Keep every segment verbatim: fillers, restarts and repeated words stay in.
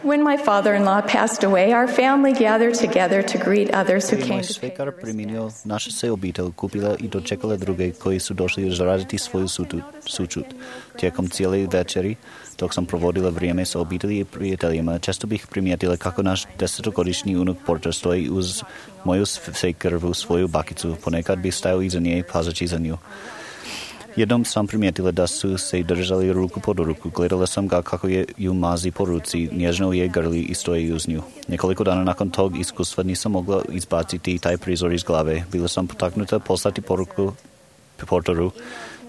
When my father-in-law passed away, our family gathered together to greet others who came Moj to pay svekar their preminio, naša se obitelj kupila i dočekala druge koji su došli izraziti svoju sutu- sućut. Tijekom cijele večeri, dok sam provodila vrijeme sa obitelji i prijateljima, često bih primijetila kako naš desetogodišnji unuk Porter stoji uz moju svekrvu svoju bakicu. Ponekad bi stajao iza nje pazeći za nju. Jednom sam primijetila da su se držali ruku pod ruku. Gledala sam ga kako je ju mazi po ruci, nježno je grli i stoji uz nju. Nekoliko dana nakon tog iskustva nisam mogla izbaciti taj prizor iz glave. Bila sam potaknuta poslati poruku Porteru,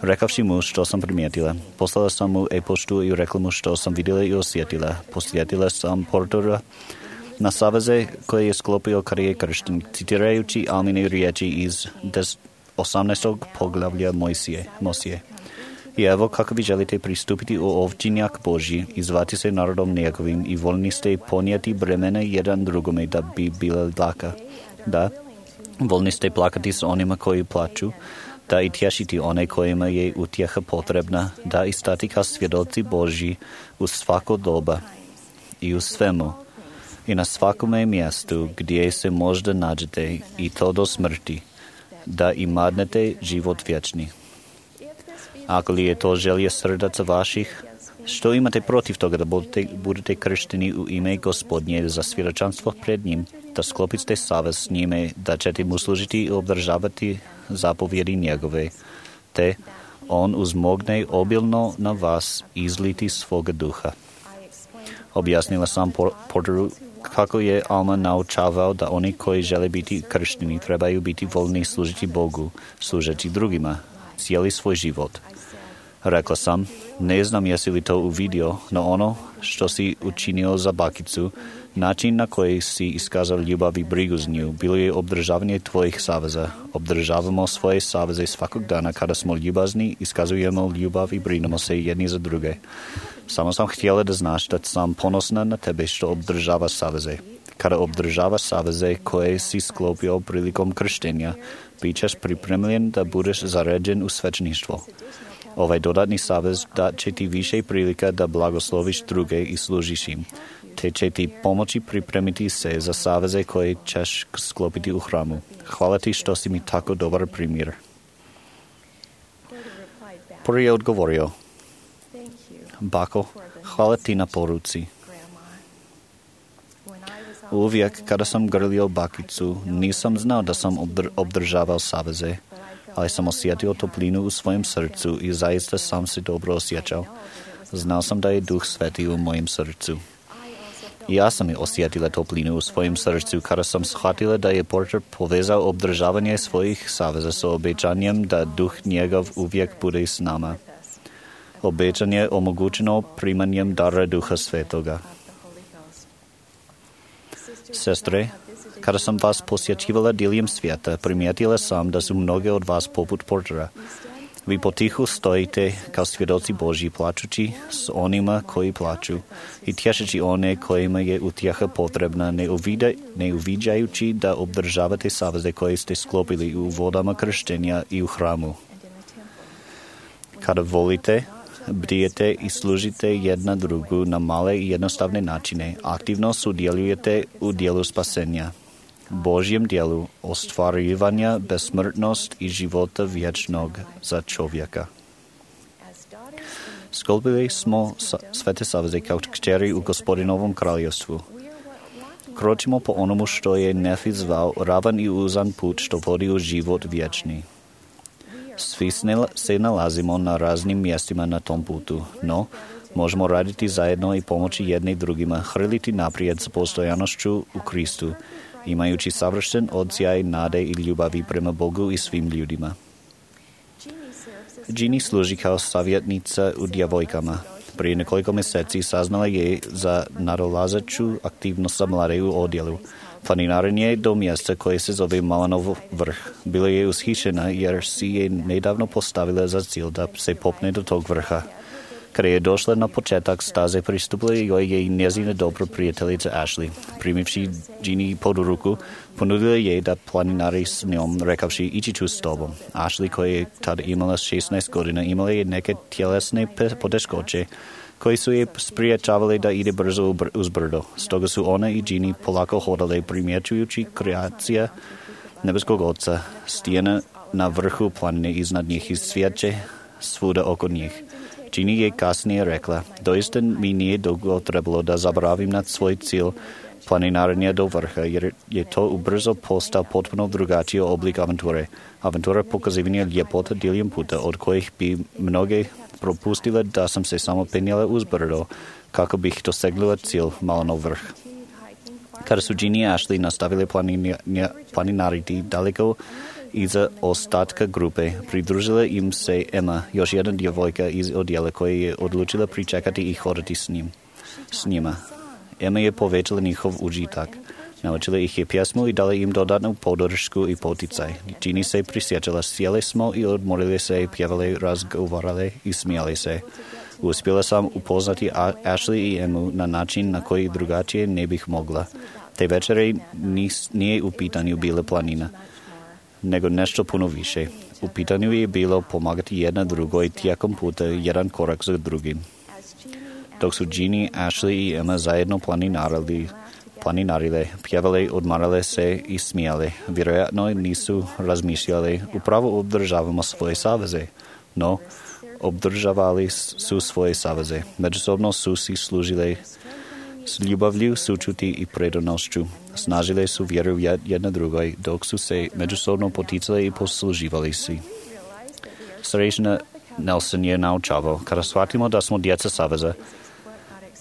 rekavši mu što sam primijetila. Poslala sam mu e-poštu i rekla mu što sam vidjela i osjetila. Posjetila sam Portera na saveze koje je sklopio kada je kršten, citirajući Almine riječi iz des osamnaestog poglavlja Mojsije, Mosije. I evo kako vi želite pristupiti u ovčinjak Božji i zvati se narodom njegovim i voljni ste ponijeti bremene jedan drugome da bi bila laka. Da, voljni ste plakati s onima koji plaču, da i tješiti one kojima je utjeha potrebna, da i stati kao svjedoci Božji u svako doba i u svemu i na svakome mjestu gdje se možda nađete i to do smrti, da imadnete život vječni. Ako li je to želje srdaca vaših, što imate protiv toga da budete, budete kršteni u ime Gospodnje za svjedočanstvo pred njim, da sklopite savez s njime, da ćete mu služiti i obdržavati zapovjedi njegove, te on uzmogne obilno na vas izliti svoga duha. Objasnila sam Porteru kako je Alma naučavao da oni koji žele biti kršteni trebaju biti voljni služiti Bogu, služiti drugima, cijeli svoj život. Rekla sam, ne znam jesi li to uvidio, no ono što si učinio za bakicu, način na koji si iskazao ljubav i brigu z nju, bilo je obdržavanje tvojih saveza. Obdržavamo svoje saveze svakog dana kada smo ljubazni, iskazujemo ljubav i brinemo se jedni za druge. Samo sam htjela da znaš da sam ponosna na tebe što obdržava saveze. Kada obdržava saveze koje si sklopio prilikom krštenja, bit ćeš pripremljen da budeš zaređen u svećništvo. Ovaj dodatni savez dat će ti više prilika da blagosloviš druge i služiš im, te će ti pomoći pripremiti se za saveze koje ćeš sklopiti u hramu. Hvala ti što si mi tako dobar primjer. Porter je odgovorio, bako, hvala ti na poruci. Uvijek kada sam grlio bakicu, nisam znao da sam obdr- obdržavao saveze, ali sam osjetio toplinu u svojem srcu i zaista sam se dobro osjećao. Znao sam da je Duh Sveti u mojem srcu. I ja sam osjetila toplinu u svojem srcu kada sam shvatila da je Porter povezao obdržavanje svojih saveza sa obećanjem da Duh njegov uvijek bude s nama. Obećanje omogućeno primanjem dara Duha Svetoga. Sestre, kada sam vas posjećivala diljem svijeta, primijetila sam da su mnoge od vas poput Portera. Vi potihu stojite kao svjedoci Božji plačući s onima koji plaču i tješeći one kojima je utjeha potrebna, ne, uvida, ne uviđajući da obdržavate saveze koje ste sklopili u vodama krštenja i u hramu. Kada volite, bdijete i služite jedna drugu na male i jednostavne načine, aktivno sudjelujete u dijelu spasenja, Božjem dijelu ostvarivanja besmrtnost i života vječnog za čovjeka. Sklopili smo svete saveze kao kćeri u Gospodinovom kraljevstvu. Kročimo po onomu što je Nefi zvao ravan i uzan put što vodi u život vječni. Svi se nalazimo na raznim mjestima na tom putu, no možemo raditi zajedno i pomoći jedni drugima, hrliti naprijed s postojanošću u Kristu, imajući savršen odsjaj nade i ljubavi prema Bogu i svim ljudima. Jeannie služi kao savjetnica u djevojkama. Prije nekoliko mjeseci saznala je za nadolazeću aktivnost za mlade u odjelu. Planinarenje do mjesta koje se zove Malanov vrh. Bila je ushišena jer si je nedavno postavila za cilj da se popne do tog vrha. Kada je došla na početak staze, pristupila joj je i njezina dobra prijateljica Ashley. Primivši Jeannie pod ruku, ponudila je da planinari s njom, rekavši ići ću s tobom. Ashley, koja je tada imala šesnaest godina, imala je neke tjelesne poteškoće koji su je spriječavali da ide brzo uz brdo. Stoga su ona i Ginny polako hodale primjećujući kreacija nebeskog oca, stijena na vrhu planine iznad njih i svijeće svuda oko njih. Ginny je kasnije rekla, doista mi nije dugo trebalo da zaboravim na svoj cilj planinarenja do vrha, jer je to ubrzo postao potpuno drugačiji oblik avanture. Avantura pokazivanja ljepota diljem puta, od kojih bi mnoge propustile da sam se samo penjala uz brdo, kako bih dosegnula cilj malo na vrh. Kada su Ginny i Ashley nastavili planinariti daleko iza ostatka grupe, pridružila im se Emma, još jedna djevojka iz odjela koja je odlučila pričekati i hodati s njim. S njima. Emma je povećala njihov užitak. Naučila ih je pjesmu i dala im dodatnu podršku i poticaj. Ginny se prisjećala, sjeli smo i odmorili se, pjevali, razgovarali i smijali se. Uspjela sam upoznati Ashley i Emmu na način na koji drugačije ne bih mogla. Te večere nis, nije u pitanju bila planina, nego nešto puno više. U pitanju je bilo pomagati jedna drugoj tijekom puta, jedan korak za drugim. Dok su Ginny, Ashley i Emma zajedno planinarili, planinarile, pjevale, odmarale se i smijale. Vjerojatno nisu razmišljali, upravo obdržavamo svoje saveze. No, obdržavali su svoje saveze. Međusobno su si služile s ljubavlju, sučuti i predanošću. Snažile su vjeru jedna drugoj, dok su se međusobno poticale i posluživali si. Srećna Nelson je naučavao, kada shvatimo da smo djeca saveza,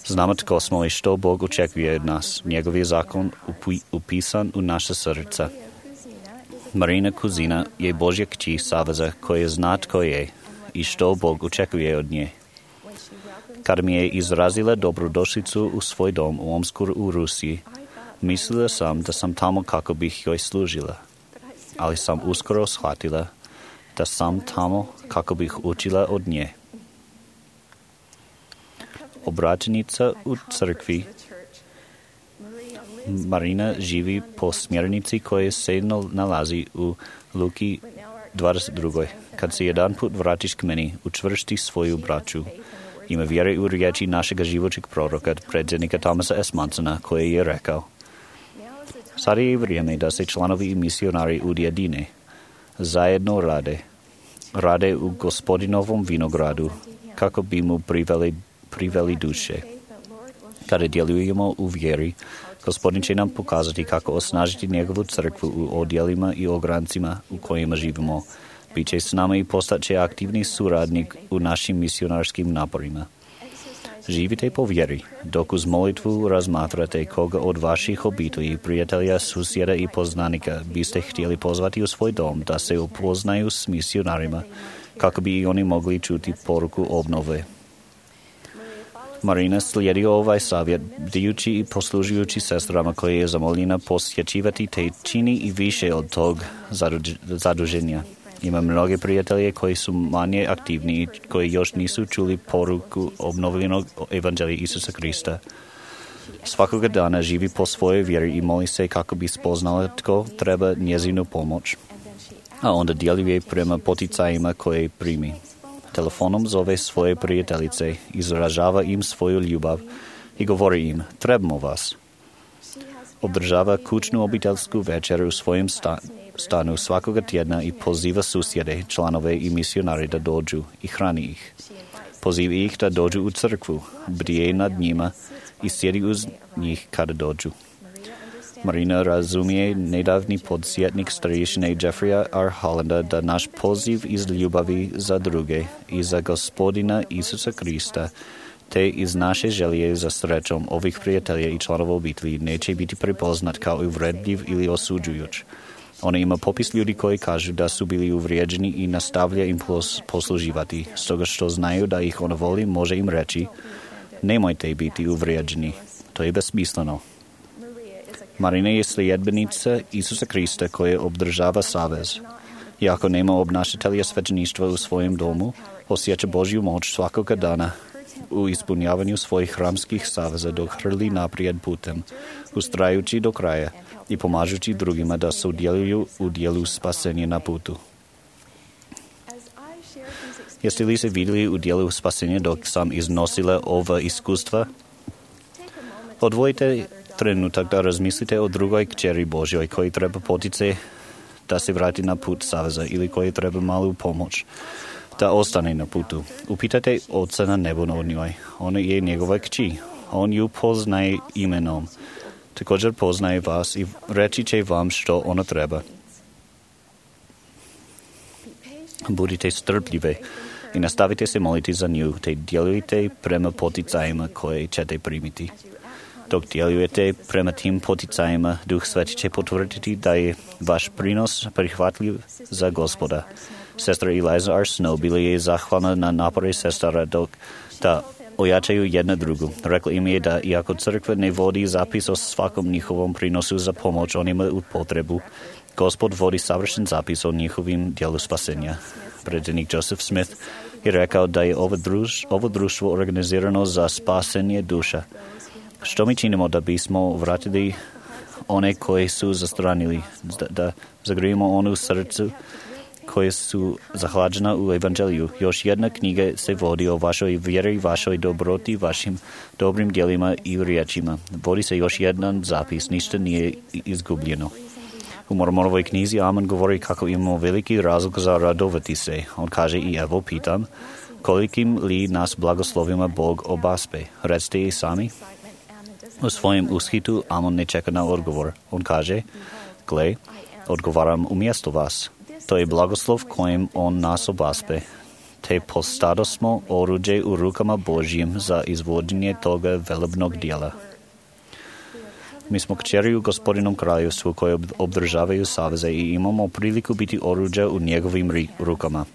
znamo tko smo i što Bog očekuje od nas. Njegov je zakon upi, upisan u naše srca. Marina Kuzina je Božja kći saveza koja zna tko je i što Bog očekuje od nje. Kada mi je izrazila dobrodošlicu u svoj dom u Omsku u Rusiji, mislila sam da sam tamo kako bih joj služila, ali sam uskoro shvatila da sam tamo kako bih učila od nje. Obraćenica u crkvi Marina živi po smjernici koja se nalazi u Luki dvadeset dva. Kad se jedan put vratiš k meni, učvrsti svoju braću. Ima vjere u riječi našega životnog proroka, predsjednika Thomasa S. Mansona, koji je rekao: sad je vrijeme da se članovi i misionari ujedine. Zajedno rade. Rade u Gospodinovom vinogradu, kako bi mu priveli, priveli duše. Kada djelujemo u vjeri, Gospodin će nam pokazati kako osnažiti njegovu crkvu u odjelima i ograncima u kojima živimo. Biće s nama i postaće aktivni suradnik u našim misionarskim naporima. Živite po vjeri, dok uz molitvu razmatrate koga od vaših obitelji, prijatelja, susjeda i poznanika biste htjeli pozvati u svoj dom da se upoznaju s misionarima, kako bi i oni mogli čuti poruku obnove. Marina slijedi ovaj savjet, bdijući i poslužujući sestrama koje je zamoljena posjećivati, te čini i više od tog zaduženja. Ima mnoge prijatelje koji su manje aktivni i koji još nisu čuli poruku obnovljenog evanđelja Isusa Krista. Svakoga dana živi po svojoj vjeri i moli se kako bi spoznala tko treba njezinu pomoć, a onda djeluje prema poticajima koje primi. Telefonom zove svoje prijateljice, izražava im svoju ljubav i govori im: trebamo vas. Održava kućnu obiteljsku večeru u svojem sta- stanu svakoga tjedna i poziva susjede, članove i misionare da dođu i hrani ih. Poziva ih da dođu u crkvu, bdije nad njima i sjedi uz njih kada dođu. Marina razumije nedavni podsjetnik starješine Jeffreya R. Hollanda da naš poziv iz ljubavi za druge i za Gospodina Isusa Krista te iz naše želje za srećom ovih prijatelja i članova obitelji neće biti prepoznat kao uvredljiv ili osuđujuć. Ona ima popis ljudi koji kažu da su bili uvrijeđeni i nastavlja im posluživati, stoga što znaju da ih ona voli, može im reći: nemojte biti uvrijeđeni, to je besmisleno. Marina je sljedbenica Isusa Krista koja obdržava savez. Iako nema obnašatelja svećeništva u svojem domu, osjeća Božju moć svakoga dana u ispunjavanju svojih hramskih saveza dok hrli naprijed putem, ustrajući do kraja i pomažući drugima da sudjeluju u dijelu spasenja na putu. Jeste li se videli u dijelu spasenja dok sam iznosila ova iskustva? Odvojite trenutak da razmislite o drugoj kćeri Božjoj koji treba potice da se vrati na put saveza ili koji treba malu pomoć da ostane na putu. Upitajte Oca na nebu o njoj. Ona je njegova kći. On ju poznaje imenom. Također poznaje vas i reći će vam što ona treba. Budite strpljive i nastavite se moliti za nju, te djelujte prema poticajima koje ćete primiti. Dok djelujete prema tim poticajima, Duh Sveti će potvrditi da je vaš prinos prihvatljiv za Gospoda. Sestra Eliza R. Snow bila je zahvalna na napore sestara dok da ojačaju jedna drugu. Rekla im je da iako crkva ne vodi zapis o svakom njihovom prinosu za pomoć onima u potrebu, Gospod vodi savršen zapis o njihovim dijelu spasenja. Predsjednik Joseph Smith je rekao da je ovo, druž, ovo društvo organizirano za spasenje duša. Što mi činimo da bismo vratili one koji su zastranili, da, da zagrijemo onu srcu koje su zahlađena u evanđeliju. Još jedna knjiga se vodi o vašoj vjeri, vašoj dobroti, vašim dobrim djelima i riječima. Vodi se još jedan zapis, ništa nije izgubljeno. U Mormonovoj knjizi Amen govori kako imamo veliki razlog za radovati se. On kaže i evo pitam, kolikim li nas blagoslovima Bog obaspe? Recite i sami. U svojem ushitu Amon ne čeka na odgovor. On kaže, gle, odgovaram umjesto vas. To je blagoslov kojim on nas obaspe. Te postado smo oruđe u rukama Božjim za izvođenje toga velebnog dijela. Mi smo kćeri u Gospodinom kraljevstvu koje obdržavaju saveze i imamo priliku biti oruđa u njegovim rukama.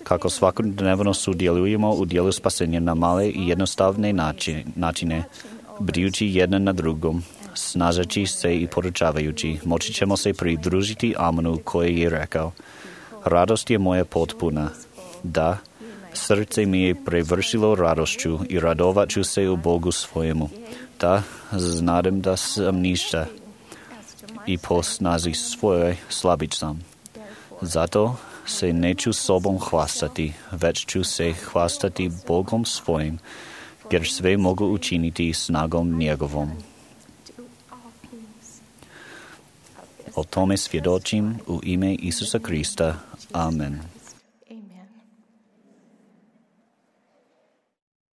Kako svakodnevno sudjelujemo u dijelu spasenja na male i jednostavne načine, brijući jedan na drugom, snažeći se i poručavajući, moći ćemo se pridružiti Amonu koji je rekao, radost je moja potpuna. Da, srce mi je prevršilo radošću i radovat ću se u Bogu svojemu. Da, znadem da sam ništa i po snazi svojoj slabić sam. Zato se neću sobom hvastati, već ću se hvastati Bogom svojim, jer sve mogu učiniti snagom njegovom. O tome svjedočim u ime Isusa Krista. Amen.